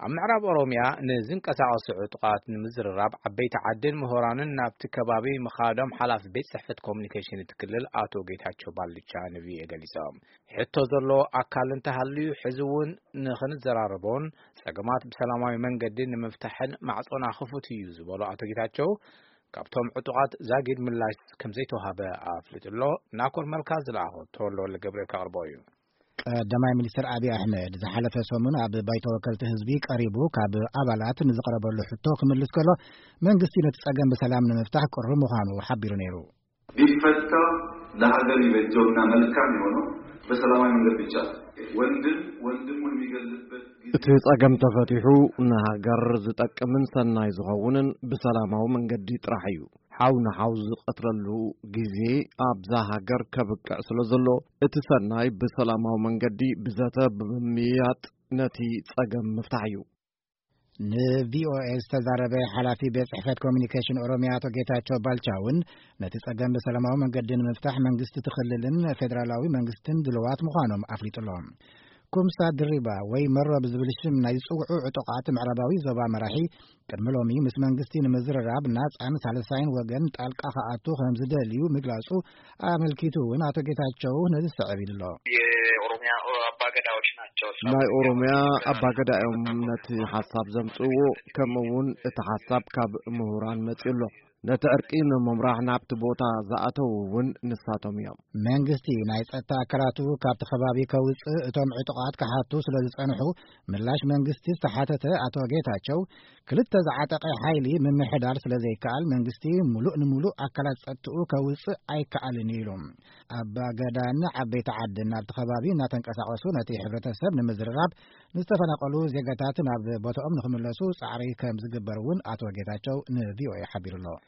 ኣብ ምዕራብ ኦሮምያ ንዝንቀሳቐሱ ዕጡቓት ንምዝርራብ ዓበይቲ ዓድን ምሁራንን ናብቲ ከባቢ ምኻዶም ሓላፊ ቤት ጽሕፈት ኮሙኒኬሽን እቲ ክልል ኣቶ ጌታቸው ባልቻ ንቪኦኤ ገሊጾም። ሕቶ ዘሎ ኣካል እንተሃልዩ ሕዚ እውን ንኽንዘራረቦን ጸገማት ብሰላማዊ መንገዲ ንምፍታሕን ማዕጾና ክፉት እዩ ዝበሉ ኣቶ ጌታቸው፣ ካብቶም ዕጡቓት ዛጊድ ምላሽ ከም ዘይተዋሃበ ኣፍሊጡ ኣሎ። ናኮር መልካ ዝለኣኾ ተወልደ ወልደ ገብርኤል ከቕርቦ እዩ። ቀዳማይ ሚኒስትር ኣብይ ኣሕመድ ዝሓለፈ ሰሙን ኣብ ባይቶ ወከልቲ ህዝቢ ቀሪቡ ካብ ኣባላት ንዝቐረበሉ ሕቶ ክምልስ ከሎ፣ መንግስቲ ነቲ ጸገም ብሰላም ንምፍታሕ ቅሩብ ምዃኑ ሓቢሩ ነይሩ። ቢፈታ ለሀገር ይበጀውና መልካም የሆነው በሰላማዊ መንገድ ብቻ። ወንድም ወንድሙን የሚገልበት ጊዜ እቲ ጸገም ተፈቲሑ ንሃገር ዝጠቅምን ሰናይ ዝኸውንን ብሰላማዊ መንገዲ ጥራሕ እዩ። ሓው ንሓው ዝቐትለሉ ግዜ ኣብዛ ሃገር ከብቅዕ ስለ ዘሎ፣ እቲ ሰናይ ብሰላማዊ መንገዲ ብዘተ ብምምይያጥ ነቲ ጸገም ምፍታሕ እዩ። ንቪኦኤ ዝተዛረበ ሓላፊ ቤት ጽሕፈት ኮሚኒኬሽን ኦሮሚያ ኣቶ ጌታቸው ባልቻ እውን ነቲ ጸገም ብሰላማዊ መንገዲ ንምፍታሕ መንግስቲ እቲ ክልልን ፌዴራላዊ መንግስትን ድልዋት ምዃኖም ኣፍሊጡ ኣሎ። ኩምሳ ድሪባ ወይ መሮ ብዝብል ሽም ናይ ዝጽውዑ ዕጡቓት ምዕራባዊ ዞባ መራሒ ቅድሚ ሎሚ ምስ መንግስቲ ንምዝርራብ ናጻን ሳልሳይን ወገን ጣልቃ ክኣቱ ከም ዝደልዩ ምግላጹ ኣመልኪቱ እውን ኣቶ ጌታቸው ነዚ ዝስዕብ ኢሉ ኣሎ። የኦሮሚያ አባገዳዎች ናቸው። ናይ ኦሮሚያ አባገዳ እዮም ነቲ ሓሳብ ዘምጽእዎ፣ ከምኡ እውን እቲ ሓሳብ ካብ ምሁራን መጺኡ ኣሎ። ነቲ ዕርቂ ንምምራሕ ናብቲ ቦታ ዝኣተዉ እውን ንሳቶም እዮም። መንግስቲ ናይ ጸጥታ ኣካላቱ ካብቲ ከባቢ ከውጽእ እቶም ዕጡቓት ክሓቱ ስለ ዝጸንሑ፣ ምላሽ መንግስቲ ዝተሓተተ ኣቶ ጌታቸው፣ ክልተ ዝዓጠቐ ሓይሊ ምምሕዳር ስለ ዘይከኣል፣ መንግስቲ ሙሉእ ንሙሉእ ኣካላት ጸጥትኡ ከውጽእ ኣይከኣልን እዩ ኢሉ። ኣባ ገዳን ዓበይቲ ዓድን ናብቲ ከባቢ እናተንቀሳቐሱ ነቲ ሕብረተሰብ ንምዝርራብ፣ ንዝተፈናቐሉ ዜጋታት ናብ ቦታኦም ንኽምለሱ ጻዕሪ ከም ዝግበር እውን ኣቶ ጌታቸው ንቪኦኤ ሓቢሩ ኣሎ።